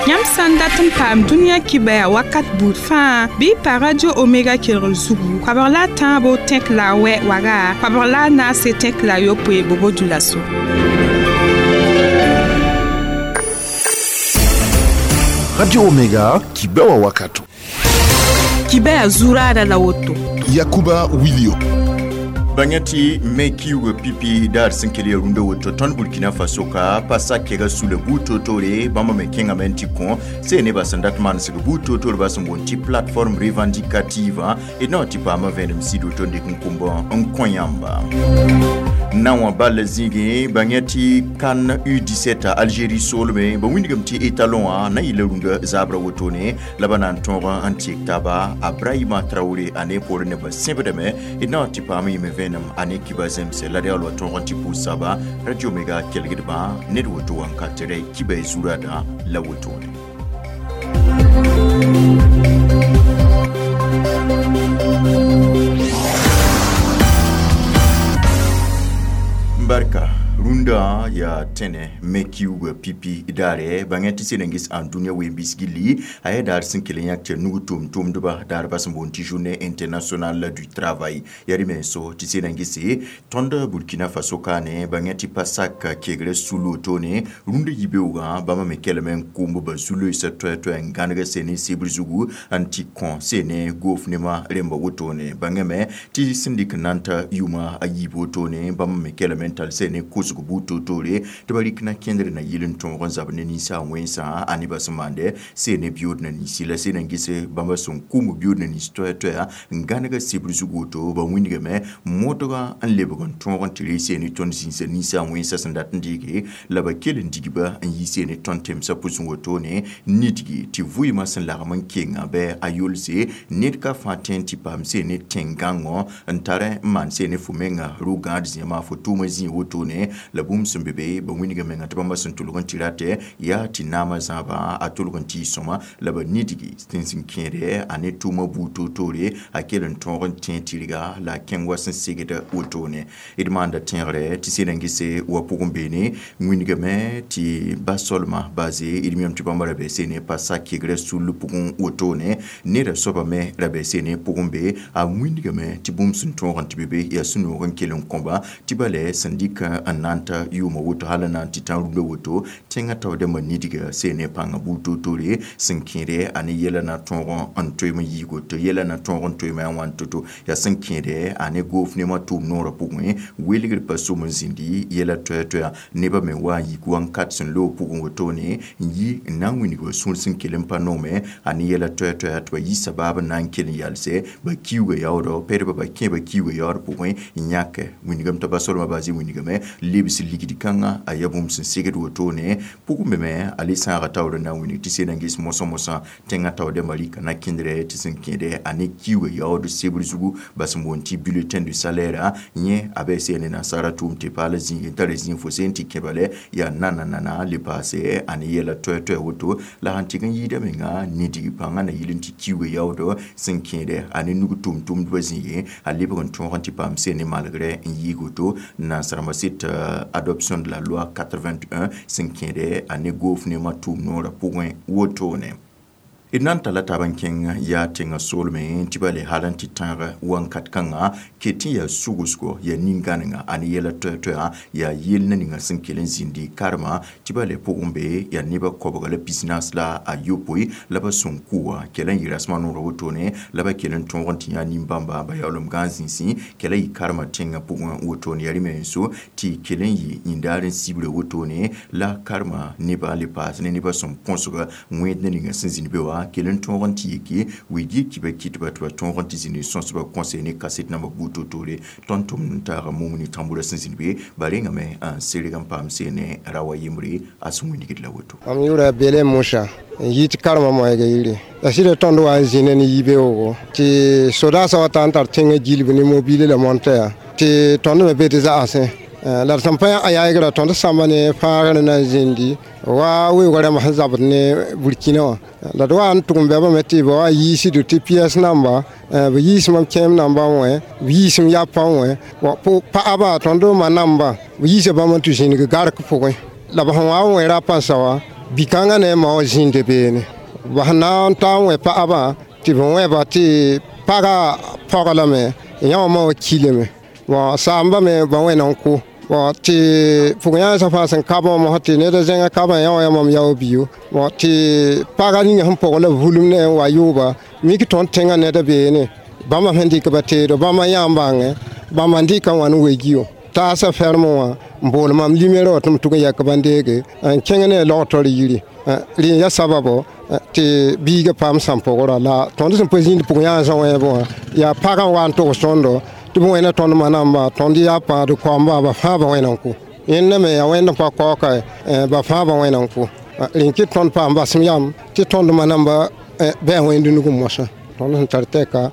Yãmb sã n dat n paam dũniyã kibaya wakat buud fãa bɩ y pa Radio Omega kelgr zugu koabg la a tãabo tẽk la a wɛ waga koabg la a naase tẽk la a yopoe Bobo-Dioulasso. Radio Omega kibewa wakato. Kibaya zurada la woto. Yakuba Wilio. Bãngã tɩ me kiuga pipi daar sẽn kell ya rũndã woto tõnd Burkina Faso ka pa sak kɛga sula buud toor-toore bãmba me kẽngame n tɩ kõ see nebã sẽn dat manesg buud toor-toor ba sẽn boond tɩ plateforme revendicative d na tɩ paama vẽenem sɩd woto n dɩk n kʋmb n kõ yãmba na wã ball zĩigẽ bãngã tɩ CAN U17 Algérie soolme ba wĩndgame tɩ étalon wã na yɩla rũndã zaabra wotone la ba na n tõog n tɩk taaba a Brahima Traoré a ne poorẽ nebã sẽbdame d na tɩ paam yɩme vẽenem a ne kiba zemse la real wa tõog n tɩ pʋʋs-saba Radio Omega kelgdbã ned woto wãnkatrɛ kiba y zuradã la wotone. Barka rũndã yaa tẽne me kiuugã pipi daare bãngã tɩ sẽn ges ãn dũniyã ween-biis gilli a yaa daar sẽn kell n yãk tɩ nug tʋʋm-tʋʋmdba daar ba sẽn boond tɩ journée internationale du travail yaa rẽ menso tɩ sẽn gese tõnd Burkina Faso kaane bãngã tɩ pa sak kegrã sul wotone rũndã yibeoogã bãmba me kelme n kʋʋmb ba zu-loeesã toɛ-toɛ n gãneg sene sebr zugu n tɩ kõ sene goof nemã rẽmba wotone bãngame tɩ sẽn dɩk n na n ta yʋʋma a yiib wotone bãmba me kelme n tall sene kosg buud toor-toore tɩ ba rɩk na kẽndr na yɩl n tõog n zab ne ninsã wẽnsã a nebã sẽn maande sene biyood na ninsi la sẽn n gese bãmba sẽn kʋʋm biyood na nins toɛ-toɛa n gãnega sebr zug woto ba wĩndgame modgã n lebg n tõog n tɩ ree sene tõnd zĩnsa ninsã wẽnsã sẽn dat n deege la ba kell n digba n yi sene tõnd temsã pʋsẽ wotone nidgi tɩ vʋɩɩmã sẽn lagm n kenga bɩ a yolse ned ka fãa tõe n tɩ paam sene tẽn-gãngõ n tar n maan sene fo menga ro-gãad zẽma fo tʋʋmã zĩig wotone la bũmb sẽn be be ba wĩndga menga tɩ bãmba sẽn tʋlg n tɩ ratɛ yaa tɩ naamã zãaba a tʋlg n tɩ y sõma la ba nidgi tɩ sẽn kẽede a ne tʋʋmã buud toor-toore a kell n tõog n tẽ tɩrga la a kẽng wa sẽn segd wotone d maanda tẽegre tɩ sẽn n gese wa pʋgẽ beene wĩndgame tɩ ba solma baze d miame tɩ bãmba ra bɩ sene pa sak kegrã sul pʋgẽ wotone neda soaba me ra bɩ sene pʋgẽ be a wĩndgame tɩ bũmb sẽn tõog n tɩ be be yaa sũ-noog n kell n kõba tɩ ba lɛ sẽn dɩk n na n ta yʋʋmã woto hal n na n tɩ tã rũndã woto tẽngã taoodãmbã nidga sene pãngã buud toor-toore sẽn kẽede a ne yɛla na tõog n toeem n yiig woto yɛla na tõog n toeeme a wãn to-to yaa sẽn kẽede a ne goof nemã tʋʋm noorã pʋgẽ welgr pa som n zĩndi yɛla toɛ-toɛa nebã me wa n yik wãnkat sẽn loog pʋgẽ wotone n yi n na n wĩndg ba sũur sẽn kell n pa noome a ne yɛla toɛ-toɛa tɩ ba yi sabaab n na n kell n yalsɛ ba kiuugã yaoodɔ pɛdba ba kẽ ba kiuugã yaood pʋgẽ n yãke wĩndgame t'a ba solmã baase wĩndgame lebs ligd kãngã a yaa bũmb sẽn segd wotone pʋgẽ be me a le sãaga taoor n na n wĩndg tɩ sẽn n ges mosã-mosã tẽngã taoodãmbã rɩka na kẽndrɛ tɩ sẽn kẽede a ne kiuugã yaood sebr zugu ba sẽn boond tɩ bulletin de salaire yẽ a bɩ sene nasaara tʋʋm tɩ paala zĩig n tara zĩig fo sẽn tɩ kẽba lɛ yaa nana le paase a ne yɛla toɛ-toɛ woto la sãn tɩg n yɩɩda menga nidg pãngã na yɩl n tɩ kiuugã yaoodɔ sẽn kẽede a ne nug tʋʋm-tʋʋmdbã zĩigẽ a lebg n tõog n tɩ paam sene malgrɛ n yiig woto nansarembã sɩd adoption de la loi 81 sẽn kẽede a ne goof nemã tʋʋm noorã pʋgẽ wotone. D na n talla taab n kẽng yaa tẽngã soolmẽ tɩ ba le hal n tɩ tãag wãnkat kãngã ket tɩ yaa sugsgo yaa nin-gãnenga a ne yɛla toɛ-toɛa yaa yell na ninga sẽn kell n zĩndi karema tɩ ba le pʋgẽ be yaa nebã koabga la pisnaas la a yopoe la ba sẽn kʋ wã kɛla n yɩ rasmã noorã wotone la ba kell n tõog n tɩ yã nin-bãmba ba yaoolem gãan zĩnsẽ kɛla yɩ karema tẽngã pʋgẽ wotone yaa rẽ menso tɩ kell n yɩ yĩndaar n sibra wotone la karema nebã le paas ne nebã sẽn põsga wẽed na ninga sẽn zĩnd be wã kell n tõog n tɩ yike wɩ kiba kɩtba tɩ ba tõog n tɩ zĩnd sõsba kõse ne kaset nambã buud toor-toore tõnd tʋmd n taaga mumni tãmbura sẽn zĩnd be ba rengame n serg n paam sene ra wa yembre a sẽn wĩndgd la woto. Mam yʋʋra Bele Musa n yɩ tɩ karemã moɛɛga yire la sɩda tõnd wa n zĩna ne yibeoogo tɩ sodaasã wa ta n tar tẽngã gilb ne mobile la montɛa tɩ tõnd me be tɩ zagsẽ la d sẽn pa a yaagra tõnd sãmba ne fãagr na n zĩndi wa weoogã rãmb sẽn zabd ne Burkina wã la d wa n tʋg n bɛbame tɩ ba wa yiisdo tɩ piɛs namba b yiis mam kẽem nambã wẽ b yiisem yapã wẽ paaba tõnd ma namba b yiisa bãmb n tɩ zĩnig gark pʋgẽ la b sẽn wa n wẽ rapãnsa wã Bi-kãngã ne a ma wã zĩnda beene bas na n ta n wẽ paɣabã tɩ b wẽba tɩ paga pɔg lame yã wã ma wã kilame bon saamba me ba wẽna n kʋ bon tɩ pʋg-yãensã fãa sẽn ka bãmb mosã tɩ ned a zẽngã kabã yã wã yaa mam yao biyo bon tɩ paga ninga sẽn pʋg la vulum ne n wa yʋʋba mik tõnd tẽngã ned a beene bãmba sẽn dɩk ba teedo bãmba yã n bãngẽ bãmba n dɩka wã n wegiyo taasa ferme wã n bool mam limero wã tɩ m tʋg n yɛk bãn-deege n kẽng ne logtor yiri rẽ n ya sababo tɩ biiga paam sãn-pʋgrã la tõnd sẽn pa zĩnd pʋg-yãansã wẽebẽ wã yaa pagã n wa n togs tõndo tɩ b wẽna tõnd manamba tõnd yaa pãad koamba ba fãa ba wẽna n kʋ yẽnda me yaa wẽnd n pa kaooka ba fãa ba wẽna n kʋ rẽ n kɩt tõnd paam basem yam tɩ tõnd manamba bɩ a wẽnd nug mosã tõnd sẽn tar tɛka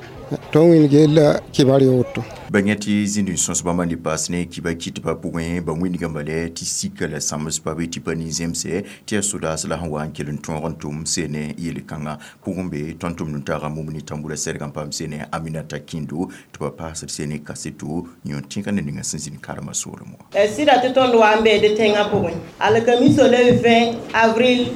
tõnd wĩnd geel kibar ya woto ba yẽ tɩ zĩnd n sõs bãmba ne paas ne kiba kɩtbã pʋgẽ ba wĩndgã bala tɩ sika la sãms pa be tɩ pa nin-zemse tɩ yaa sodaas la sẽn wa n kell n tõog n tʋm seene yel-kãngã pʋgẽ be tõnd tʋmd n taaga mumni tambura sɛrg n paam seene Aminata Kĩndo tɩ ba paasd seene kaseto yõ tẽga ne ninga sẽn zĩnd karema soolem wã sɩda tɩ tõnd wa n beede tẽngã pʋgẽ alkamiso le 20 avril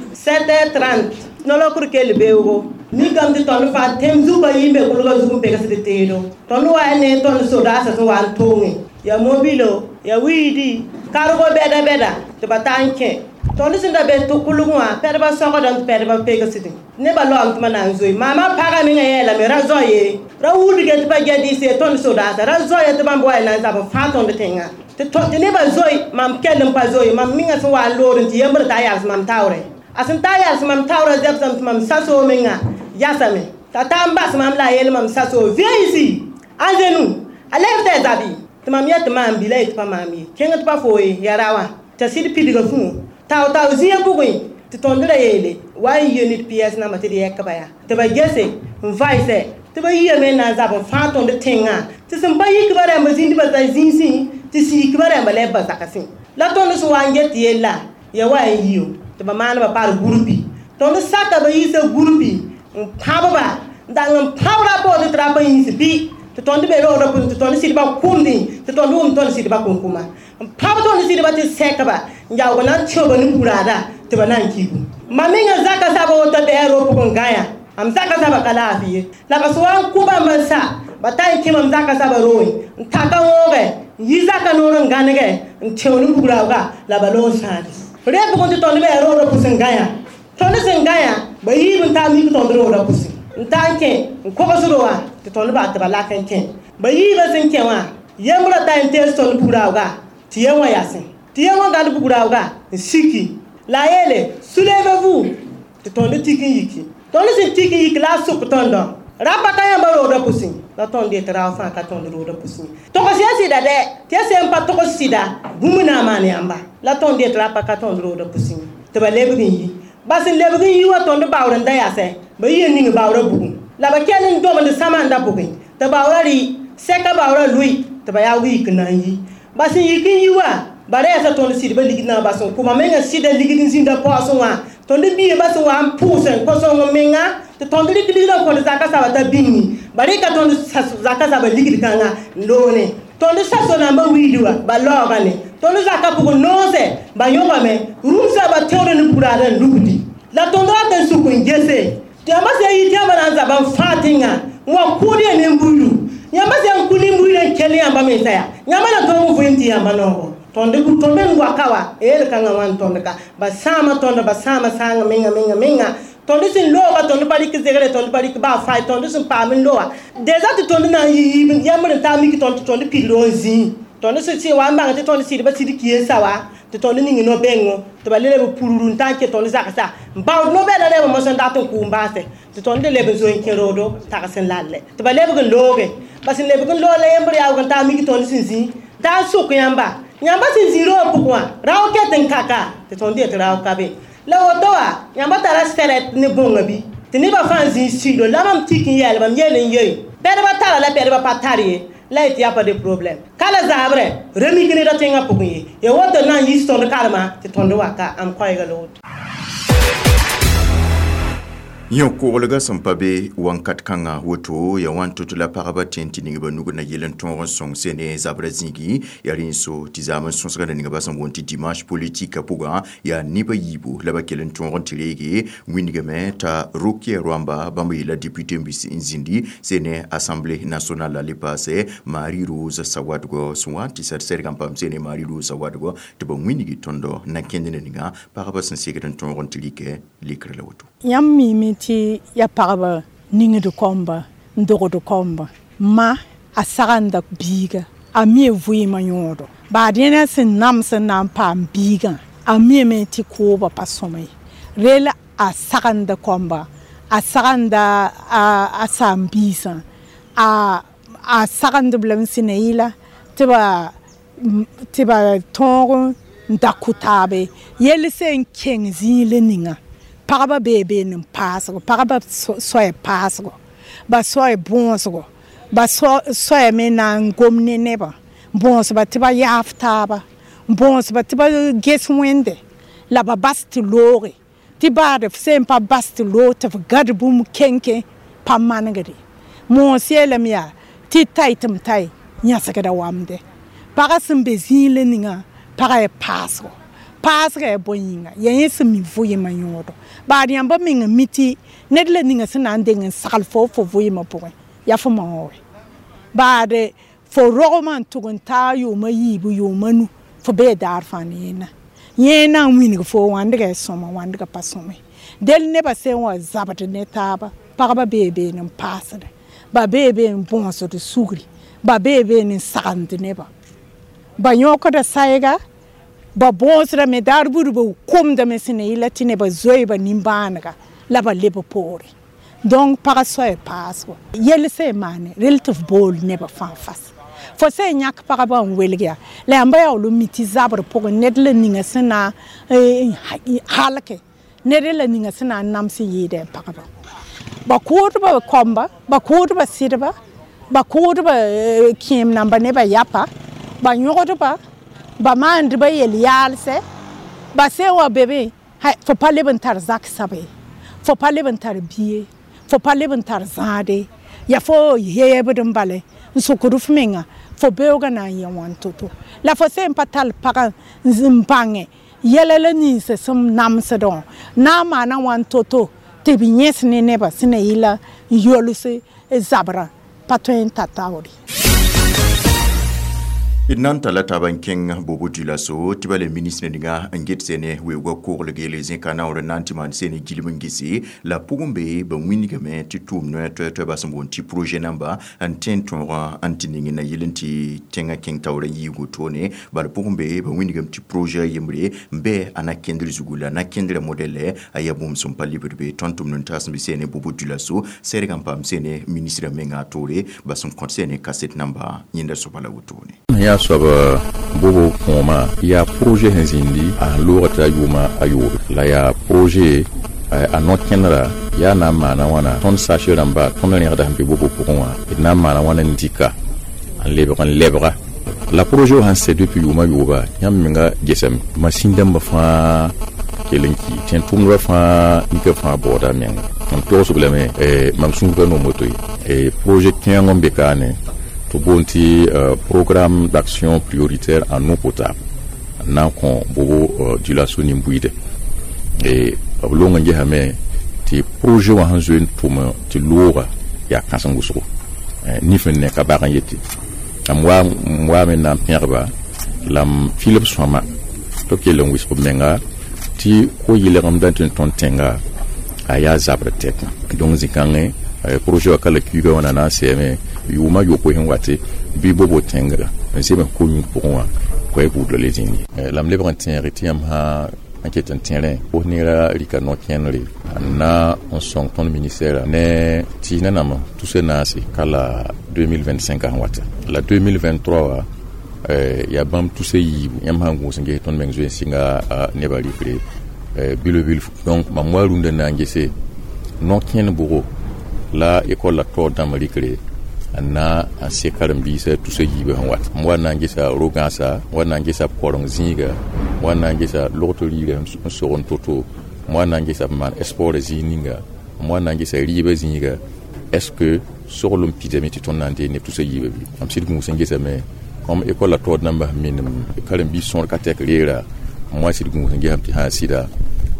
7h30 nolokr kell beoogo mikame tɩ tõnd fãa tẽm zugã yĩmbe kʋlgã zug n pegsd teedo tõnd wa ne tõnd sodaasã sẽn wa n toongẽ ya mobilo ya wiidi kargo bɛda bɛda tɩ ba ta n kẽ tõnd sẽn da be tɩ kʋlg wã pɛdbã sõgdame tɩ pɛdbã pegsdẽ nebã laoom tɩ ma na n zoe maamã pagã mengã yeelame ra zao ye ra wulge tɩ pa gɛdɩɩs ye tõnd sodaasã ra zoe tɩ bãmb wa y na n zab n fãa tõnd tẽngã tɩ nebã zoe mam kell n pa zoe mam mengã sẽn wa n loor n tɩ yembr t'a yals mam taoorẽ a sẽn ta yals mam taoorã zɛbsame tɩ mam sasoog menga yasame t'a ta n bas mam la a yeel mam sasoo viens ici à genoux a lɛb tɩ a zabi tɩ mam yet tɩ maam bila ye tɩ pa maam ye kẽng tɩ pa foo ye ya ra wã t'a sɩd pidga fũu tao-tao zĩiga pʋgẽ tɩ tõnd ra yeele wa n yɩ ned piɛs namba tɩ d yɛk ba yaa tɩ ba gese n vaɩsɛ tɩ ba yiame n na n zab n fãa tõnd tẽngã tɩ sẽn pa yik ba rãmba zĩnd ba sa zĩnsẽ tɩ siik ba rãmba lɛb ba zagsẽ la tõnd sẽn wa n get yella ya wa n yiyo tɩ ba maanba par gurpi tõnd saka ba yiisa gurpi n pãbba n dag n pãbra poore tɩ ra pa yĩs bɩ tɩ tõnd be roogdã pʋgẽ tɩ tõnd sɩdba kʋmdẽ tɩ tõnd wʋm tõnd sɩdba kʋnkʋma n pãb tõnd sɩdba tɩ sɛkba n yaoog na n tẽoba ne buraada tɩ ba na n kigu mam menga zaka saba woto bɩ a roog pʋgẽ n gã yã am zaka saba ka laafɩ ye la ba sẽn wa n kʋ bãmb n sa ba ta n kẽ mam zaka saba roogẽ n taka wõogɛ n yi zaka noor n gãnegɛ n tẽo ne bugraooga la ba loog n sãade rẽ pʋgẽ tɩ tõnd be a roogdã pʋs n gã yã tõnd sẽn gã yã ba yiib n taa mik tõnd roogdã pʋsẽ n ta n kẽ n kogsdo wã tɩ tõnd baa tɩ ba lak n kẽ ba yiibã sẽn kẽ wã yembrã ta n tees tõnd bugraooga tɩ yẽ wã yasẽ tɩ yẽ wã gãd bugraooga n siki la a yeele soulevez-vous tɩ tõnd tik n yiki tõnd sẽn tik n yik la a sʋk tõndɔ rapa ka yãmba roogdã pʋsẽ la tõnd yetɩ rao fãa ka tõnd roogdã pʋsẽ togs ya sɩda dɛ tɩ ya sẽn pa togs sɩda bũmb na n maan yãmba la tõnd yetɩ rapa ka tõnd roogdã pʋsẽ tɩ ba lebg n yi ba sẽn lebg n yi wa tõnd baoor n da yasɛ ba yɩ n ning baoorã bugum la ba kell n domd sãmanda pʋgẽ tɩ baoorã rɩ sɛka baoorã lʋɩ tɩ ba yaoog yik n na n yi ba sẽn yik n yi wa ba ra yasa tõnd sɩdbã ligd na n bas n kʋ menga sɩda ligd n zĩnda paoosẽ wã tõnd biigã ba sẽn wa n pʋʋs n kõ sõng menga tɩ tõnd rɩk ligdã n kõd zaka saba t'a bĩngi ba rɩka tõnd zaka saba ligd kãngã n loone tõnd saso nambã wiidi wa ba laoogame tõnd zaka pʋgẽ noosɛ ba yõgame rũmsã ba tẽod ne buraada n lugdi la tõnd rat n suk n gese tɩ yãmba sã n yi tɩ yãmba na n zaba n fãa tẽngã n wa kʋʋd ya nin-buiidu yãmba sã n kʋ nin-buiidã n kell yãmba mensa yaa yãmba na tõog n vɩɩm tɩ yãmba noogo tõnd tõnd n waka wa yel-kãngã wã n tõnd ka ba sãama tõnd ba sãama sãanga menga menga menga tõnd sẽn looga tõnd pa rɩk zegre tõnd pa rɩk baa fay tõnd sẽn paam n loa deza tɩ tõnd na n yi yiib yãmbr n taa mik tõnd tɩ tõnd pid roog n zĩig tõnd sẽn sẽ wa n bãng tɩ tõnd sɩdbã sɩd ki n sa wa tɩ tõnd ning no-bẽngo tɩ ba le leb pururu n ta n kẽ tõnd zagsa n baood no-bɛda rɛɛbã mosã n dat n kʋʋm baase tɩ tõnd le leb n zoe n kẽ roodo tags n lalle tɩ ba lebg n looge ba sẽn lebg n loog la yembr yaoog n taa mik tõnd sẽn zĩ taa n sʋk yãmba yãmba sẽn zĩ roog pʋgẽ wã rao ket n kaka tɩ tõnd yet rao ka be la woto wã yãmba tara sɛrɛt ne bõnga bɩ tɩ nebã fãa zĩ sido la mam tik n yɛɛl mam yeel n yei pɛdbã tara la pɛdbã pa tar ye la yetɩ yaa pa de problème ka la zaabrɛ ra mik neda tẽngã pʋgẽ ye ya woto na n yis tõnd karema tɩ tõnd waka am koɛɛga la woto. Yõ koglga sẽn pa be wãnkat kãngã woto ya wãn tɩ la pagba tẽ tɩ ning ba nug na yel n tõog n sõng sene zabrã zĩigi yaa rẽ n so tɩ zaam n sõsga na ninga ba sẽn boond tɩ dimanche politique pʋgã yaa neba yiibu la ba kell n tõog n tɩ reege wĩndgame t'a Rokia Rwamba bãmb yeela député n bis n zĩndi sene Assemblée nationale la le paase Marie Rose Sawadgo sẽn wa n tɩ sɛd sɛdg n paam sene Marie Rose Sawadgo tɩ ba wĩndgi tõndo na kẽnd na ninga pagba sẽn segd n tõog n tɩ rɩkɛ lekrã la woto. Yãmb miime tɩ ya pagba ningd kɔmba n dogd kɔmba ma a sagenda biiga a mie vɩɩmã yõodo baa dẽnã sẽn nams n na n paam biigã a miame tɩ kooba pa sõma ye rel a sagenda kɔmba a sagenda a saam-biisã a sagendb lame sẽn na yɩla tɩ ba tõog n da kʋ taabe yell sẽn kẽng zĩig ninga pagba bee bee n paasgo pagba soaya paasgo ba soaya bõosgo ba soaya me na n gom ne nebã bõosba tɩ ba yaaf taaba bõosba tɩ ba ges wẽnde la ba bas tɩ looge tɩ baad f sẽn pa bas tɩ loog tɩ f gad bũmb kẽnkẽ pa manegde moos yeelame yaa tɩ tay tɩ m tay yãsgda wamde pagã sẽn be zĩig la ninga pagã ya paasgo paasga ya bõe yĩnga yaa yẽ sẽn mi vɩɩmã yõodo baad yãmba meng n mi tɩ ned la ninga sẽn na n deng n sagl fo fo vɩɩmã pʋgẽ yaa fo maoore baad fo rogmã n tʋg n taa yʋʋma yiibu yʋʋma nu fo bee daar fãa ne yẽnna yẽ na n wĩneg fo wãndga ya sõma wãndga pa sõme del nebã sẽn wa zabd ne taaba pagba bee been n paasd ba bee been n bõosd sugri ba bee been n sagend nebã ba yõkda saɛga ba bõosdame daar buud ba komdame sẽn na yɩla tɩ nebã zoe ba nimbãanega la ba leb poore donc pagã soaya paasgo yell sẽn maane rel tɩ f bool nebã fãa fas fo sẽn yãk pagba n welg yaa la yãmba yaool n mi tɩ zabr pʋgẽ ned la ninga sẽn na n halke ned la ninga sẽn na n nams n yɩɩdẽ pagba ba kʋʋdba kɔmba ba kʋʋdba sɩdba ba kʋʋdba kẽem namba nebã yapa ba yõgdba ba maandba yel-yaalsɛ ba sẽn wa be be fo pa leb n tar zak sabe fo pa leb n tar bie fo pa leb n tar zãade yaa fo yeebd n bale n sokd f menga fo beoogã na n yẽ wãn to-to la fo sẽn pa tall pagã n bãnge yɛla la ninsã sẽn namsdẽ wã na n maana wãn to-to tɩ b yẽs ne nebã sẽn na yɩla n yols zabrã pa tõe n ta taoore. D na n talla taab n kẽng bobo dioulasso tɩ ba le ministre ninga n get sene weoogã koglg yele zẽka naoor n na n tɩ maan sene gilm n gese la pʋgẽ be ba wĩndgame tɩ tʋʋm noɛ toɛ-toɛ ba sẽn boond tɩ projet namba n tẽ n tõogã n tɩ ning na yel n tɩ tẽngã kẽng taoor n yiigu toone bala pʋgẽ be ba wĩndgame tɩ projet a yembre n bɩ a na kẽndr zugu la na kẽndrã modɛlɛ a yaa bũmb sẽn pa libd be tõnd tʋmd n taas n bɩ sene bobo dioulasso sɛdg n paam sene ministrã menga a toore ba sẽn kõt sene kaset namba yẽnda soaba la wotone. Yaa soab bobo kõoma yaa projet sẽn zĩndi a loogã t'a yʋʋma a yoobe la yaa projet a no-kẽndra yaa na n maana wãna tõnd sache rãmba tõnd rẽgda sẽn be bobo pʋgẽ wã d na n maana wãna n dɩka n lebg n lebga la projet wã sẽn sɛ depuis yʋʋma yooba yãmb menga gesame masĩn dãmbã fãa kell n ki tẽn tʋmdbã fãa nika fãa baooda menga mam togsg lame mam sũurga noom woto ye projet kẽeng n be kaane tɩ boond tɩ programme d'action prioritaire en eau potable n na n kõ bobo dioulasso nin-buiide b long n gesame tɩ projet wã sẽn zoe n tʋm tɩ looga yaa kãseng wʋsgo nif n ne ka bag n yetɩ m waame n na n pẽgba la m filb sõama tɩ b kell n wɩsg b menga tɩ ko-yɩlgemdã tɩ n tõnd tẽnga a yaa zabr tɛk donc zĩ-kãngẽ projet wã ka la kuiga wã na n sɛɛme yʋʋma yopoe sẽn wate bɩ bobo tẽnga n zems ko-yũud pʋgẽ wã koɛɛ buudã le zĩnd ye la m lebg n tẽege tɩ yãmb sã n ket n tẽrẽ kos neerã rɩka no-kẽnere n na n sõng tõnd ministɛɛrã ne tɩ nanam tusa naase ka la 2025 sẽn wata la 2023 wã yaa bãmb tusa yiibu yãmb sã n gũus n ges tõnd meng zoe n sɩnga nebã rɩkre bilo-bilfu donc mam wa rũndã na n gese no-kẽnd bʋgo la école la taoor dãmb rɩkre n na n sek karen-biisã tusa yiibã sẽn wat m wa na n gesa ro-gãasa m wa na n gesa b koreng zĩiga m wa na n gesa logto riirã n sog n to-to m wa na n gesa b maan sport zĩig ninga M wa na n gesa rɩɩbã zĩiga, est ce que soglem pidame tɩ tõnd na n dee neb tusa yiibã bɩ? Mam sɩd gũus n gesame comme école la taood namba sẽn minim karen-biis sõor ka tɛk reera, m wa sɩd gũus n gesame tɩ sã n sɩda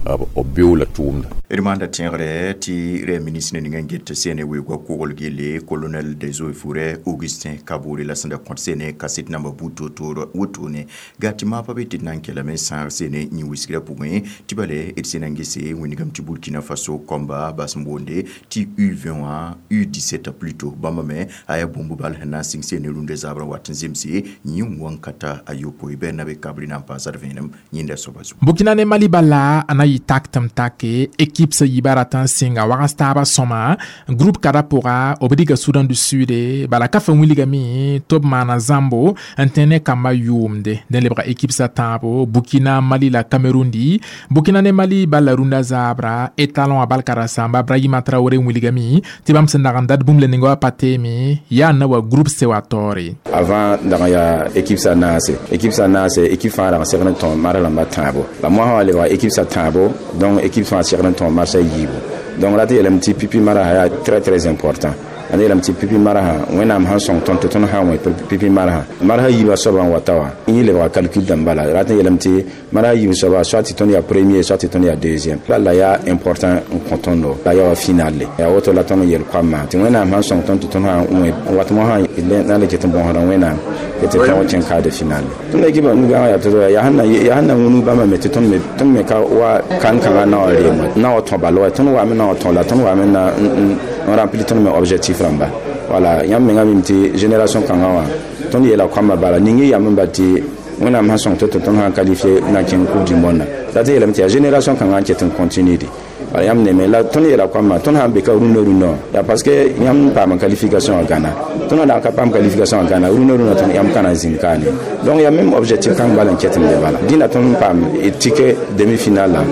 b beoola tʋʋmda. D maanda tẽegre tɩ rɛ ministre ning n get sene weoogã kogl gelle, colonel des eaux et forêts Augustin Kabore, la sẽn da kõt sene kaset namba buud toor-toor wotone gaa tɩ maapã be tɩ d na n kelame sãag sene yĩ wisgrã pʋgẽ tɩ bale d sẽn na n gese wĩndgame tɩ Burkina Faso kɔmba bas n boonde tɩ U20 wã, U17 plutôt, bãmba me a yaa bũmb bal sẽn na n sɩng sene rũndã zabrã wat n zemse yĩ wãn-kata a yopoe bɩ na be kabri na n paasd vẽenem yẽnda soaba zugu. Burkina ne Mali bala a na yɩ tak tɩ m take équipe sã yiibã rat n sɩnga wags taabã sõma groupe kada pʋga b diga Soudan du Sud, bala ka fa wilgame tɩ b maana zãmbo n tẽ ne kambã yʋʋmde dẽ lebga équipe sã tãabo, Burkina, Mali la Cameroun. Di Burkina ne Mali bala rũndã zaabra étalon a balka ra sãamba Brahima Traoré wilgame tɩ bãmb sẽn dag n dat bũmb le ninga wa pa teeme yaa na wa groupe C wa taoore. Avant dag n yaa équipe sã naase, équipe sã naase, équipe fãa rag n segd n tõe marsa rãmbã tãabo, la moasã wa lebga équipe sã tãabo, donc équipe fãa segd n tõe marsã yiibu. Donc la tɩ yeelame tɩ pipi marsa yaa très très important. Ãnd yeelame tɩ pipi marsã Wẽnnaam sãn sõng tõnd tɩ tõnd sã n wẽ pipi marsã, marsã yiibã soabã n wata wã yẽ lebga calcul dãmb bala rat n yeelame tɩ marsã yiib soaba, soit tɩ tõnd yaa premier, soit tɩ tõnd yaa deuxième, bala yaa important n kõ tõndo la yaa wa finale. Yaa woto la tõnd n yel koamã tɩ Wẽnnaam sãn sõng tõnd tɩ tõnd sã n wẽ wat mosã na le ket n bõsda Wẽnnaam tɩ tõog kẽng quart de finale. Tõnd équipe nugã yaa tɩ yaa sẽn na wũnug bãmba me tɩ tõnd me ka wa kan-kãngã na wa reem na wa tõ bal wa tõnd wame na wa tõ la tõnd wame na n remplir tõnd me objectif rãmba. Wala yãmb menga mim tɩ génération kãngã wã tõnd yeela koambã bala ning y yam n bal tɩ Wẽnnaam sãn sõng tɩ tɩ tõnd sãn qualifié na kẽng Coupe du monde la tɩ yeelame tɩ yaa génération kãngã n ket n continue de. Wala yãmb neme la tõnd yeela koambã tõnd sãn be ka rũndã rũndã wã yaa parce que yãmb paam qualification wã gãna, tõnd na n ka paam qualification wã gãna rũndã rũndã tõnd yãmb ka na n zĩnd kaane. Donc yaa même objectif kãng bala n ket n be bala dĩnã tõnd paam ticket demi finale la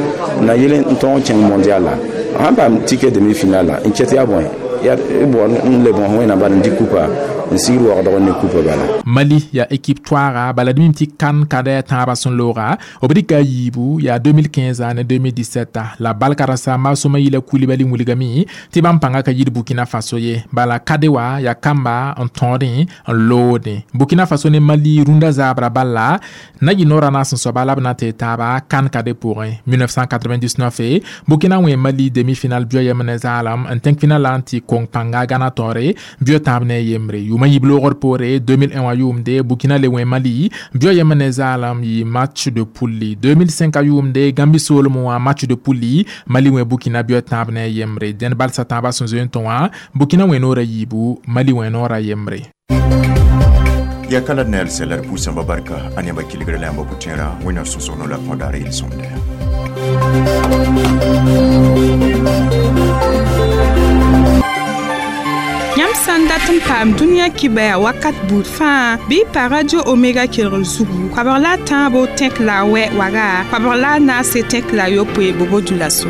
na yel n tõog kẽng mondial la sãn paam ticket demi finale la n ket yaa bõe yaa b n le bõs Wẽnnaam bala n dɩk kupa n sigr waoogdg ne kupa bala. Mali yaa équipe toaaga bala d mim tɩ kan kada tãabã sẽn looga b dɩka a yiibu yaa 2015 ne 2017 la balka ra samba sõma yila Kulibali wilgame tɩ bãmb pãnga ka yid Burkina Faso ye, bala kade wa yaa kamba n tõodẽ n loodẽ. Burkina Faso ne Mali rũndã zaabra bala na yɩ noorã naas n soaba la b na tɩ taaba kan kade pʋgẽ. 1999 Burkina wẽ Mali demi-finale bio yem ne zaalem n tẽng final la n tɩ kong pãnga gãna taoore bio tãab ne yembre. Yʋʋmã yiib loogr poore, 2001 wã yʋʋmde Burkina le wẽ Mali bio yem ne zaalem yɩ match de poule. 2005 a yʋʋmde Gambi soolem wã match de poule, Mali wẽ Burkina bio tãab ne yembre. Dẽnd balsa tãabã sẽn zoe n tõ wã Burkina wẽ noorã yiibu, Mali wẽ noorã yembre. Ya kala nel selar pusamba barka anyamba kiligre la yamba putera wẽnnaam sõsg no la kõdaar yel-sõmda. Yãmb sã n dat n paam dũniyã kibaya wakat buud fãa, bɩ y pa Radio Omega kelgr zugu koabg la a tãabo tẽk la a wɛ waga koabg la a naase tẽk la a yopoe bobo dula so.